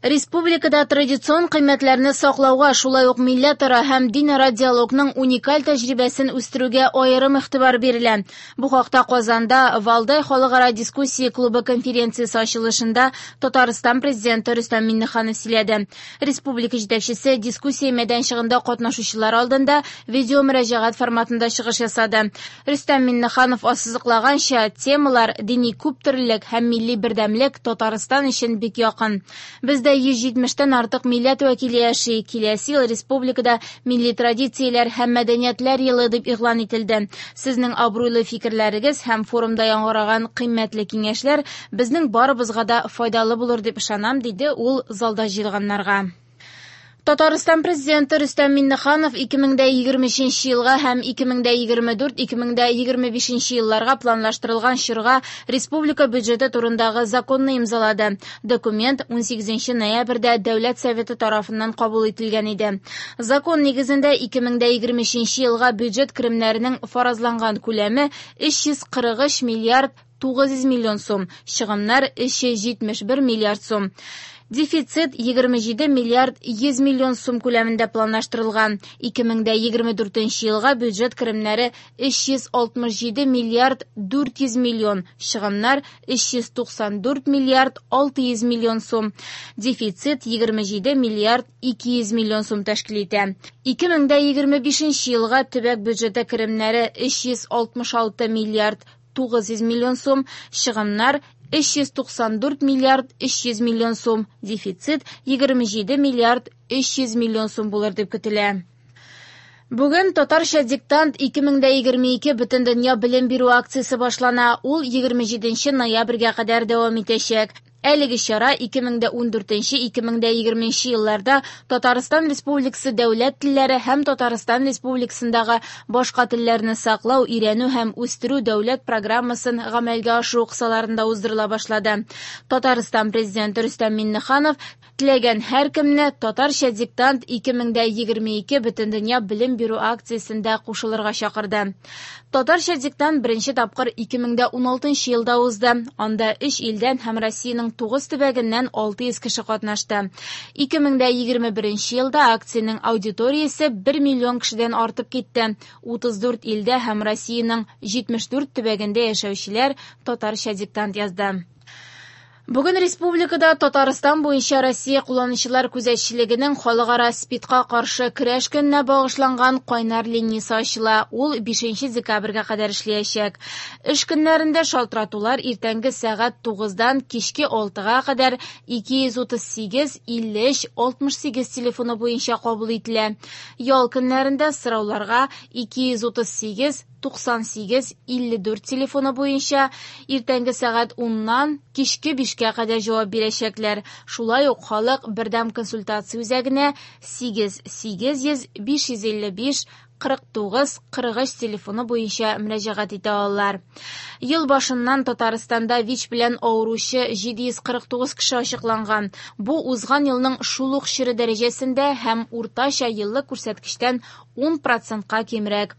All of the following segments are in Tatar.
Республикада традицион кыйммәтләрне саклауга, шулай ук милләтара һәм динара диалогның уникаль тәҗрибәсен үстерүгә аерым игътибар бирелә. Бу хакта Казанда Валдай халыкара дискуссия клубы конференциясе ачылышында Татарстан Президенты Рөстәм Миңнеханов сөйләде. Республика җитәкчесе дискуссия мәйданчыгында катнашучылар алдында видеомөрәҗәгать форматында чыгыш ясады. Рөстәм Миңнеханов ассызыклаганча, темалар дини күптөрлелек һәм милли бердәмлек Татарстан өчен бик якын. Бездә 170 тән артык милләт вәкиле яши. Киләсе ел республикада милли традицияләр һәм мәдәниятләр елы дип игълан ителде. Сезнең абруйлы фикерләрегез һәм форумда яңгыраган кыйммәтле киңәшләр безнең барыбызга да файдалы булыр дип ышанам, диде ул залда җыелганнарга. Татарстан Президенты Рөстәм Миңнеханов 2023 елга һәм 2024-2025 елларга планлаштырылган чорга республика бюджеты турындагы законны имзалады. Документ 18 ноябрьдә Дәүләт Советы тарафыннан кабул ителгән иде. Закон нигезендә 2023 елга бюджет керемнәренең фаразланган күләме 343 миллиард 900 миллион сум, чыгымнар 371 миллиард сум. Дефицит 27 миллиард 100 миллион сум күләмендә планлаштырылган. 2024 елга бюджет керемнәре 367 миллиард 400 миллион, чыгымнар 394 миллиард 600 миллион сум. Дефицит 27 миллиард 200 миллион сум тәшкил итә. 2025 елга төбәк бюджеты керемнәре 366 миллиард 900 миллион сум, чыгымнар 394 миллиард 300 миллион сум, дефицит 27 миллиард 300 миллион сум булыр дип көтелә. Бүген Татарча диктант 2022 Бөтендөнья белем бирү акциясе башлана. Ул 27 ноябрьгә кадәр дәвам итәчәк. Әлеге чара 2014-2020 елларда Татарстан Республикасы дәүләт телләре һәм Татарстан Республикасындагы башка телләрне саклау, өйрәнү һәм үстерү дәүләт программасын гамәлгә ашыру кысаларында уздырыла башлады. Татарстан Президенты Рөстәм Миңнеханов теләгән һәркемне Татарча диктант 2022 Бөтендөнья белем бирү акциясендә кушылырга чакырды. Татарча диктант беренче тапкыр 2016 елда узды. Анда 3 илдән һәм Россиянең 9 төбәгеннән 600 кеше катнашты. 2021 елда акциянең аудиториясе 1 миллион кешедән артып китте. 34 илдә һәм Россиянең 74 төбәгендә яшәүчеләр татарча диктант язды. Бүген республикада Татарстан буенча Россия кулланучылар күзәтчелегенең халыкара СПИДка каршы көрәш көненә багышланган кайнар линиясе ачыла. Ул 5 декабрьгә кадәр эшләячәк. Эш көннәрендә шалтыратулар иртәнге сәгать 9-дан кичке 6-га кадәр 238 53 68 телефоны буенча кабул ителә. Ял көннәрендә сорауларга 238 98 54 телефоны буенча иртәнге сәгать 10-нан кичке 5-кә кадәр җавап бирәчәкләр. Шулай ук халык бердәм консультация үзәгенә 8 800 555 49 43 телефоны буенча мөрәҗәгать итә алалар. Ел башыннан Татарстанда ВИЧ белән авыручы 749 кеше ачыкланган. Бу узган елның шул ук чоры дәрәҗәсендә һәм уртача еллык күрсәткечтән 10%-ка кимрәк.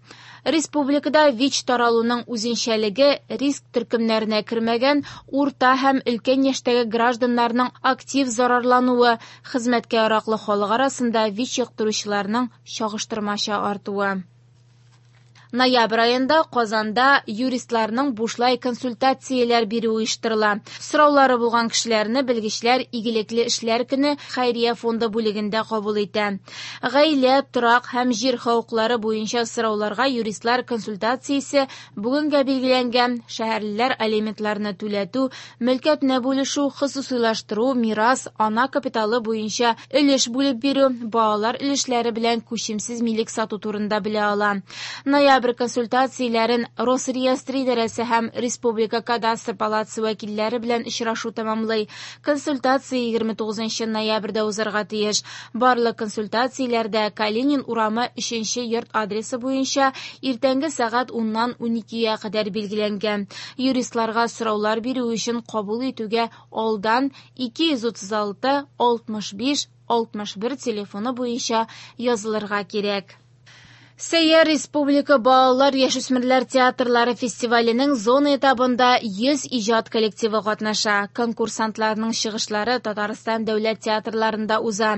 Республикада ВИЧ таралуның үзенчәлеге риск төркемнәренә кермәгән урта һәм өлкән яшьтәге гражданнарның актив зарарлануы, хезмәткә яраклы халык арасында ВИЧ йоктыручыларның чагыштырмача артуы. Ноябрь аенда Казанда юристларның бушлай консультацияләр бирү оештырыла. Сораулары булган кешеләрне белгечләр Игелекле эшләр көне хәйрия фонды бүлегендә кабул итә. Гаилә, торак һәм җир хокуклары буенча сорауларга юристлар консультациясе бүгенгә билгеләнгән. Шәһәрлеләр алиментларны түләтү, мөлкәтне бүлешү, хосусыйлаштыру, мирас, ана капиталы буенча өлеш бүлеп бирү, балалар өлешләре белән күчемсез милек сату турында белә ала. Ноябрь консультацияләрен Росреестр идарәсе һәм Республика кадастр палатасы вәкилләре белән очрашу тәмамлый. Консультация 29 ноябрьдә узарга тиеш. Барлык консультацияләрдә Калинин урамы 3 йорт адресы буенча иртәнге сәгать 10-нан 12-гә кадәр билгеләнгән. Юристларга сораулар бирү өчен кабул итүгә алдан 236 65 61 телефоны буенча язылырга кирәк. Сәйяр республика балалар яшүсмерләр театрлары фестиваленең зона этабында 100 иҗат коллективы катнаша. Конкурсантларның чыгышлары Татарстан дәүләт театрларында уза.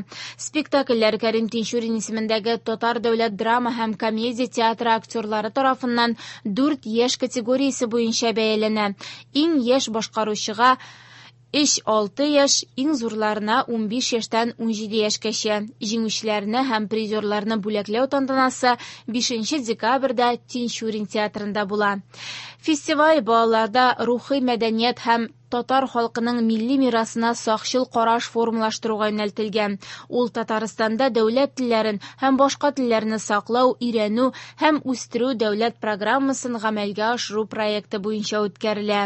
Спектакльләр Кәрим Тинчурин исемендәге Татар дәүләт драма һәм комедия театры актерлары тарафыннан 4 яшь категориясе буенча бәяләнә. Иң яшь башкаручыга 3-6 яшь, иң зурларына 15 яшьтән 17 яшькәчә. Җиңүчеләрне һәм призерларны бүләкләү тантанасы 5 декабрьдә Тинчурин театрында була. Фестиваль балаларда рухи мәдәният һәм татар халкының милли мирасына сакчыл караш формалаштыруга юнәлтелгән. Ул Татарстанда дәүләт телләрен һәм башка телләрне саклау, өйрәнү һәм үстерү дәүләт программасын гамәлгә ашыру проекты буенча үткәрелә.